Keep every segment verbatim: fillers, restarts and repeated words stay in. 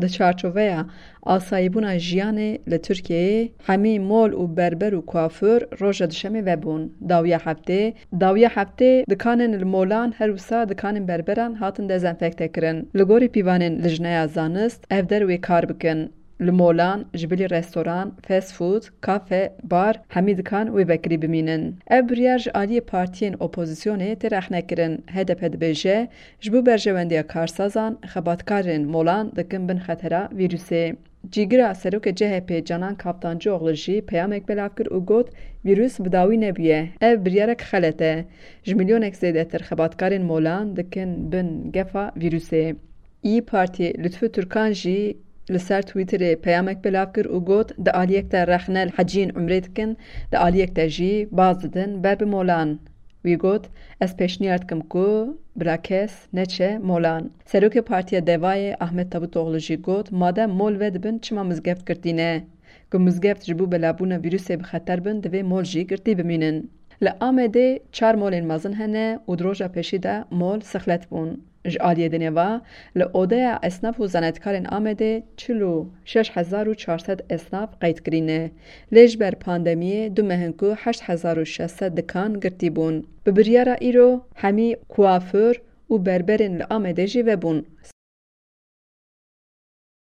Di çarçoveya asayîbûna jiyanê li Tirkiyeyê, hemî mol û berber û kuafûr roja duşemê vebûn. Dawiya heftê, dawiya heftê dikanên li molan her wisa dikanên berberan hatin dezenfekte kirin. Li gorî pîvanên Lijneya Zanist, ev der wê kar bikin. Li molan, ji bilî restoran, fast food, kafe, bar, hemî dikan wê vekirî bimînin. Ev biryar ji aliyê partiyên opozisyonê tê rexnekirin. H D P dibêje, ji bo berjewendiya karsazan, xebatkarên molan dikin bin xetera vîrusê. Cîgira serokê C H P Canan Kaftancıoğlu jî peyamek belav kir û got, vîrus bi dawî nebûye. Ev biryarek xelet e. Ji milyonek zêdetir xebatkarên molan dikin bin gefa vîrusê. Î Partî Lutfü Türkan jî li ser Twitterê peyamek belav kir û got, di aliyek de rexne li heciyên umrê dikin, di aliyek de jî baz didin ber bi molan. Wî got, ez pêşniyar dikim ku bila kes neçe molan. Serokê Partiya Devayê Ahmet Davutoglu jî got, madem mol vedibin, çima mizgeft girtî ne? Ku mizgeft ji bo belabûna vîrusê bi xeter bin, divê mol jî girtî bimînin. Li Amedê çar molên mezin hene û di roja pêşî de mol sixlet bûn. Ji aliyê dinê ve, li odeya esnaf û zanetkarên Amedê çil û şeş hezar û çar sed esnaf qeyd kirîne. Lê ji ber pandemiyê du meh in ku heşt hezar û şeş sed dikan girtî bûn. Bi biryara îro hemî kuafûr û berberên li Amedê jî vebûn.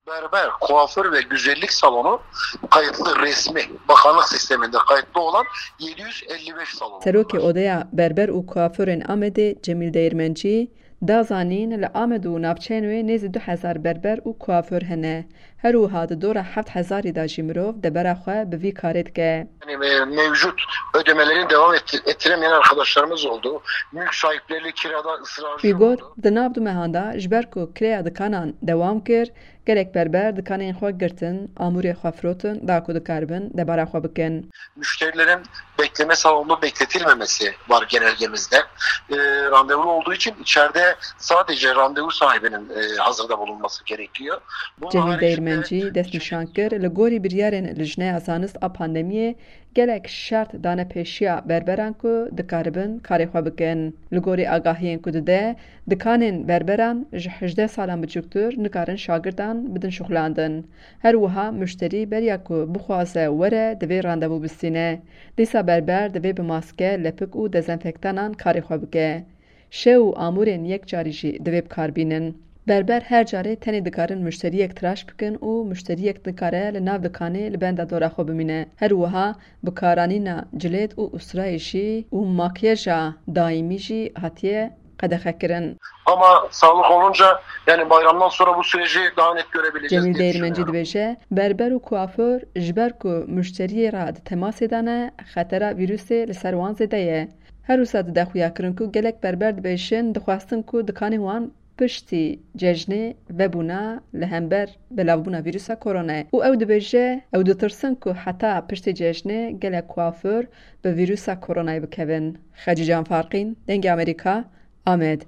Berber, kuaför ve güzellik salonu kayıtlı resmi, bakanlık sisteminde kayıtlı olan yedi yüz elli beş salon. Serokê Odeya Berber û Kuafûrên Amedê Cemîl Değirmencî da zanîn, li Amed û navçeyên wê nêzî du hezar berber û kuafûr hene. Her wiha di dora heft hezarî de jî mirov debera xwe bi vî karê dike. Yani, e, mevcut ödemelerini devam ettir- ettiremeyen arkadaşlarımız oldu. Mülk sahipleri kirada ısrarcı Wî got, oldu. Di nav du mehan de, ji ber ku kireya dikanan dewam kir, gelek berber dikanên xwe girtin, amûrê xwe firotin, da ku dikaribin debara xwe bikin. Müşterilerin bekleme salonunda bekletilmemesi var genelgemizde. E, randevulu olduğu için içeride sadece randevu sahibinin e, hazırda bulunması gerekiyor. Bunun Cemîl haricinde Değirmencî dest nîşan kir, li gorî biryarên Lijneya Zanist a Pandemiyê, gelek şert dane pêşiya berberan ku dikaribin karê xwe bikin. Li gorî agahiyên ku dide, dikanên berberan ji hejdeh salan biçûktir nikarin şagirdan bidin şuxlandin. Her wiha muşterî beriya ku bixwaze were, divê randevu bistîne. Dîsa berber divê bi maske, lepik û dezenfektanan karê xwe bike. Şew û amûrên yek carî jî divê bi kar bînin. Berber her carê tenê dikarin muşteriyek tiraş bikin û muşteriyek nikare li nav dikanê li benda dora xwe bimîne. Her wiha bikaranîna cilêt û ustrayê jî û makyeja daîmî jî hatiye qedexekirin. Ama sağlık olunca yani bayramdan sonra bu süreci daha net görebileceğiz Cemîl diye Değirmencî düşünüyorum. Dibêje, berber û kuafûr ji ber ku muşteriyê re di temasê de ne, xetera vîrusê li ser wan zêde ye. Her wisa dide xuyakirin ku gelek berber dibêjin, dixwestin ku dikanên wan piştî cejnê vebûna li hember belavbûna vîrusa koronayê û ew dibêje, ew ditirsin ku heta piştî cejnê gelek kuafûr bi vîrusa koronayê bikevin. Xecîcan Farqîn, Dengê Amerîka, Amed.